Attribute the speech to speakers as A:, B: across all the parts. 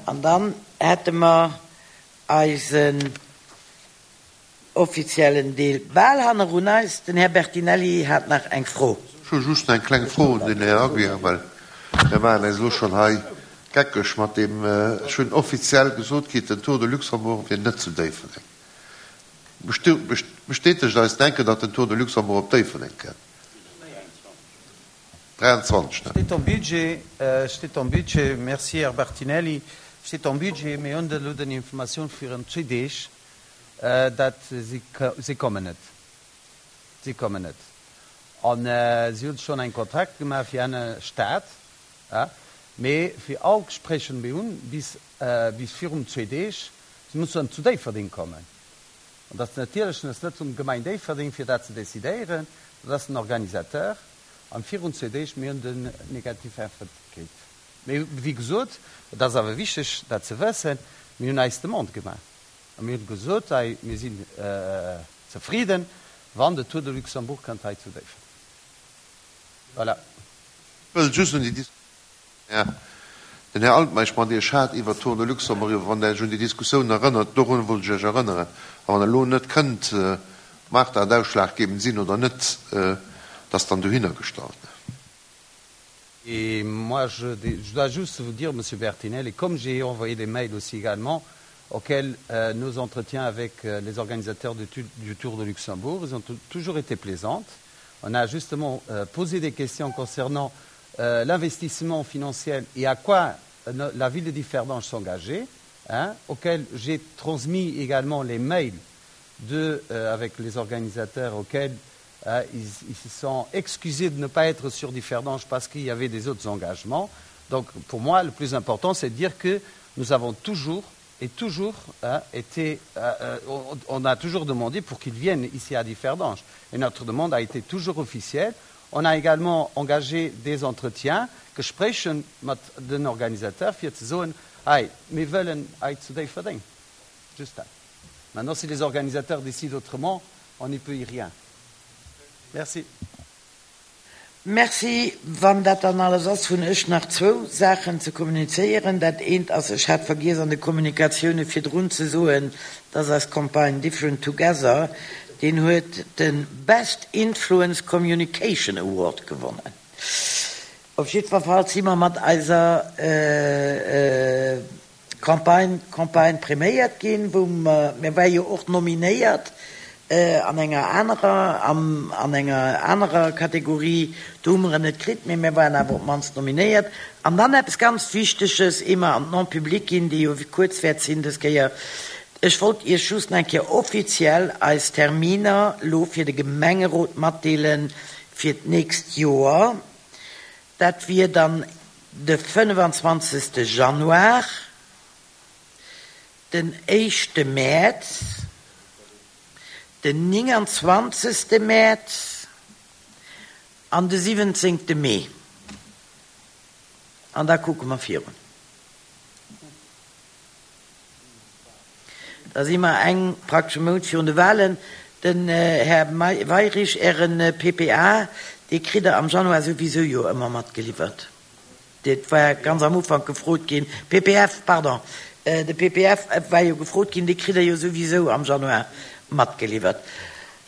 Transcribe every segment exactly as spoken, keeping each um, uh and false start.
A: An dann hätte mer eisen offiziellen Deel bal hannerun eis. Den Här Bertinelli hat nach eng Fro.
B: Ech hu just eng kleng Fro un den Här Aguiar, well mir maachen eis elo schonn hei geckeg mat deem, ech hunn offiziell gesot kritt, den Tour de Luxembourg wier net zu Déifferdeng. Bestätegt eis denken, datt den Tour de Luxembourg op Déifferdeng kënnt? dräianzwanzeg, ne?
C: Steet am Budget, steet am Budget. Merci, Här Bertinelli. Steet am Budget. Mir hunn elo den Informatioun virun zwee Deeg, dat si, si kommen net. Si kommen net. A si hunn schonn eng Kontrakt gemaach fir enne Stad, mee fir all Gespréicher, déi mir hunn bis, bis virum zwee Deeg, si mussen zu Déifferdeng kommen. An dat ass natierlech ass net vum Gemeng Déifferdeng, fir dat ze decidéieren, dat ass den Organisateur. An virun zwee Deeg, mir hunn den negativ Äntwert kritt. Mee wéi gesot, et ass awer wichteg, dat ze wëssen, mir hunn eis Demande gemaach a mir hunn gesot, hei, mir sinn zefriden, wann de Tour de Luxembourg kënnt hei zu Déifferdeng. Voilà.
B: Ech wëll just un déi Diskussioun, den Här Altmeisch mat Iech hat iwwert d'Tour de Luxembourg, wann Der Iech un déi Diskussioun erënnert, dorun wollt ech Iech erënneren. A wann Der elo net kënnt, mag dat ausschlaggebend sinn oder net, dat dann dohinner gestallt.
C: Et moi, je, je dois juste vous dire, Monsieur Bertinelli, comme j'ai envoyé des mails aussi également, auxquels euh, nos entretiens avec euh, les organisateurs du, du Tour de Luxembourg, ils ont toujours été plaisantes. On a justement euh, posé des questions concernant euh, l'investissement financier et à quoi euh, la ville de Differdange s'engageait, hein, auxquels j'ai transmis également les mails de, euh, avec les organisateurs auxquels euh, ils, ils se sont excusés de ne pas être sur Differdange parce qu'il y avait des autres engagements. Donc pour moi, le plus important, c'est de dire que nous avons toujours et toujours hein, été, euh, on, on a toujours demandé pour qu'ils viennent ici à Differdange. Et notre demande a été toujours officielle. On a également engagé des entretiens, Gespréicher mat den Organisateur, fir ze soen, hey, mir wëllen hei zu Déifferdeng. Juste dat. Maintenant, si les organisateurs décident autrement, on n'y peut y rien. Merci.
A: Merci. Wann dat dann alles ass, hunn ech nach zwou Saachen ze kommunizéieren. Dat eent ass, ech hat vergiess an de Kommunikatioune virdrun ze soen, dass eis Campagne Different Together, deen huet de Best Influence Communication Award gewonnen. Op jiddwer Fall si mer mat eiser äh, äh, Campagne, Campagne priméiert ginn, wou mer, mir ware jo och nominéiert äh, an enger anerer, am, an enger anerer Kategorie, do hu mer net kritt, mee mir waren awer op d'mannst nominéiert. An dann eppes ganz Wichteges, ier mer an d'Non-public ginn, déi jo kuerz wäert sinn dës Kéier. Ech wollt Iech just eng Kéier offiziell eis Terminer lo fir de Gemengerot matdeelen fir d'nächst Joer. Dat wier dann de fënnefenzwanzegste Januar, den éischte Mäerz, den nénganzwanzegste Mäerz an de siwwenzéngte Mee. An da kucke mer virun. Da si mer eng praktesche Mount virun de Wahlen. Den äh, Här Weyrich, Ären äh, P P A, dee kritt Der am Januar souwisou jo ëmmer matgeliwwert. Dat war ganz am Ufank gefrot ginn. P P F, pardon. Äh, de P P F war jo gefrot ginn, dee kritt Der jo souwisou am Januar matgeliwwert.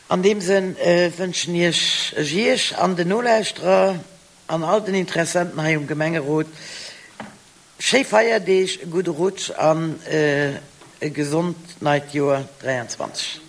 A: An deem Sënn äh, wënschen ech Iech an den Nolauschterer an all den Interessenten hei um Gemengerot schéi Feierdeeg, e gudde Rutsch an äh, e gesond neit Joer dräianzwanzeg.